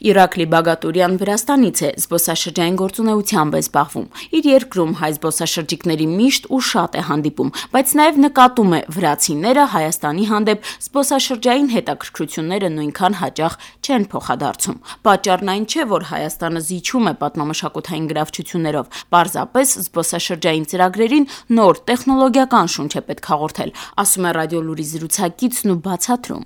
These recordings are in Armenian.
Իրաքլի Բագատուրյան Վրաստանից է, զբոսաշրջային գործունեությամբ է զբաղվում։ Իր երկրում հայ զբոսաշրջիկների միշտ ու շատ է հանդիպում, բայց նաև նկատում է վրացիները Հայաստանի հանդեպ զբոսաշրջային հետաքրքրությունները նույնքան հաճախ չեն փոխադարձում։ Պատճառն այն չէ, որ Հայաստանը զիջում է պատմամշակութային գրավչություններով, պարզապես զբոսաշրջային ծրագրերին նոր տեխնոլոգիական շունչ է պետք հաղորդել, ասում է Ռադիոլուրի զրուցակիցն ու բացատրում։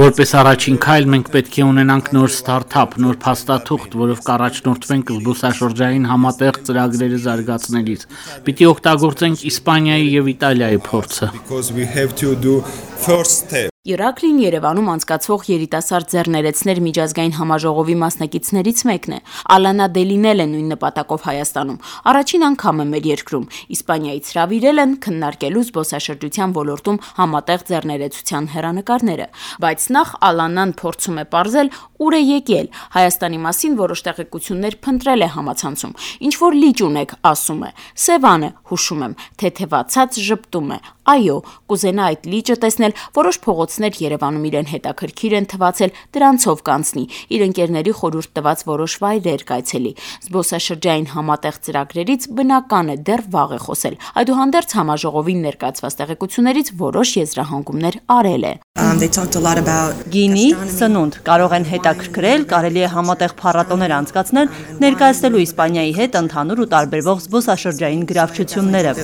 Որպես առաջին քայլ մենք պետք է ունենանք նոր ստարտափ, նոր փաստաթուղթ, որով կառաջնորդվենք զբոսաշրջային համատեղ ծրագրերը զարգացնելիս։ Պիտի օգտագործենք Իսպանիայի եւ Իտալիայի փորձը։ Իրաքլին Երևանում անցկացվող երիտասարդ ձեռներեցներ միջազգային համաժողովի մասնակիցներից մեկն է։ Ալանա Դելինել է նույն նպատակով Հայաստանում։ Առաջին անգամ է մեր երկրում։ Իսպանիայից հրավիրել են քննարկելու զբոսաշրջության ոլորտում համատեղ ձեռներեցության հեռանկարները։ Բայց նախ Ալանան փորձում է պարզել ուր է եկել։ Հայաստանի մասին որոշ տեղեկություններ փնտրել է համացանցում։ Ինչ որ լիճ ունեք, ասում է։ Սևան է, հուշում եմ, թեթևացած ժպտում է։ Այո, կուզենա այդ լիճը տեսնել, որոշ փողոցներ Երևանում իրեն հետաքրքիր են թվացել, դրանցով կանցնի, իր ընկերների խորհուրդ տված որոշ վայրեր կայցելի։ Զբոսաշրջային համատեղ ծրագրերից բնական է դեռ վաղ է խոսել։ Այդուհանդերձ համաժողովին ներկայացված տեղեկություններից որոշ եզրահանգումներ արել է։ Գինի, սնունդ կարող են հետաքրքրել, կարելի է համատեղ փառատոներ անցկացնել, ներկայացնելու Իսպանիայի հետ ընդհանուր ու տարբերվող զբոսաշրջային գրավչությունները։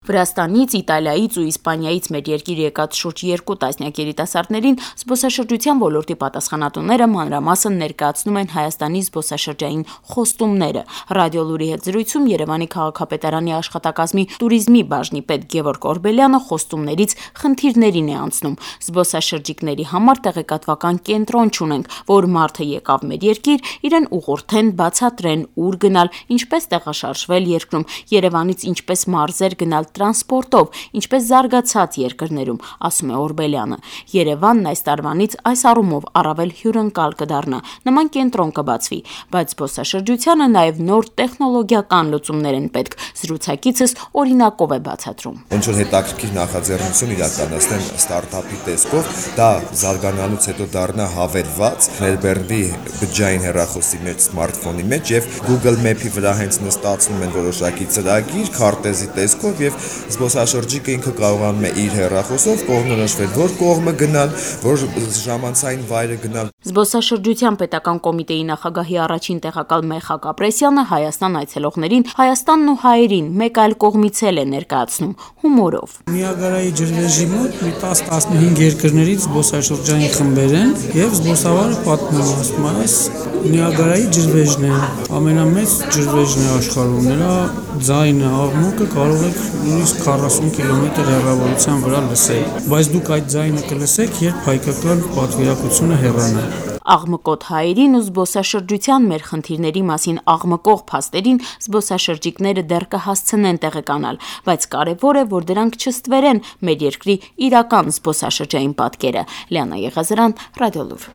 Վրաստանից, Իտալիայից ու Իսպանիայից մեր երկիր եկած շուրջ 2 տասնյակ երիտասարդներին զբոսաշրջության ոլորտի պատասխանատուները մանրամասն ներկայացնում են Հայաստանի զբոսաշրջային խոստումները։ Ռադիոլուրի հետ զրույցում Երևանի քաղաքապետարանի աշխատակազմի туриզմի բաժնի պետ Գևորգ Օրբելյանը խոստումներից խնդիրներին է անցնում։ Զբոսաշրջիկների համար տեղեկատվական կենտրոն չունենք, որ մարդը եկավ մեր երկիր, իրեն ուղղորդեն, բացատրեն, ուր գնալ, ինչպես տեղաշարժվել երկրում, Երևանից ինչպես մարզեր գնալ տրանսպորտով, ինչպես զարգացած երկրներում, ասում է Օրբելյանը։ Երևանն այս տարվանից այս առումով առավել հյուրընկալ կդառնա, նման կենտրոն կբացվի, բայց զբոսաշրջությանը նաև նոր տեխնոլոգիական լուծումներ են պետք։ Զրուցակիցս օրինակով է բացատրում։ Ոնց որ հետաքրքիր նախաձեռնություն իրականացնեն ստարտափի տեսքով, դա զարգանալուց հետո դառնա հավելված, ներբեռնվի բջջային հեռախոսի մեջ, սմարթֆոնի մեջ եւ Google Map-ի վրա հենց նստացնում են որոշակի ծրագիր, քարտեզի տեսքով եւ զբոսաշրջիկը ինքը կարողանում է իր հեռախոսով կողմնորոշվել, որ կողմը գնալ, որ ժամանցային վայրը գնալ։ Զբոսաշրջության պետական կոմիտեի նախագահի առաջին տեղակալ Մեխակ Ապրեսյանը Հայաստան այցելողներին Հայաստանն ու հայերին մեկ այլ կողմից էլ է ներկայացնում հումորով։ Նիագարայի ջրվեժի մոտ մի 10-15 երկրներից զբոսաշրջային խմբեր են եւ զբոսավարը պատմում է, ասում է, այս Նիագարայի ջրվեժն է, ամենամեծ ջրվեժն է աշխարհում, նրա ձայնը, աղմուկը կարող եք նույնիսկ 40 կիլոմետր հեռավորության վրա լսել, բայց դուք այդ ձայնը կլսեք, երբ հայկական պատվիրակությունը հեռանա։ Աղմկոտ հայերին ու զբոսաշրջության մեր խնդիրների մասին աղմկող փաստերին զբոսաշրջիկները դեռ կհասցնեն տեղեկանալ, բայց կարևոր է, որ դրանք չստվերեն մեր երկրի իրական զբոսաշրջային պատկերը։ Լիանա Եղազարյան, Ռադիոլուր։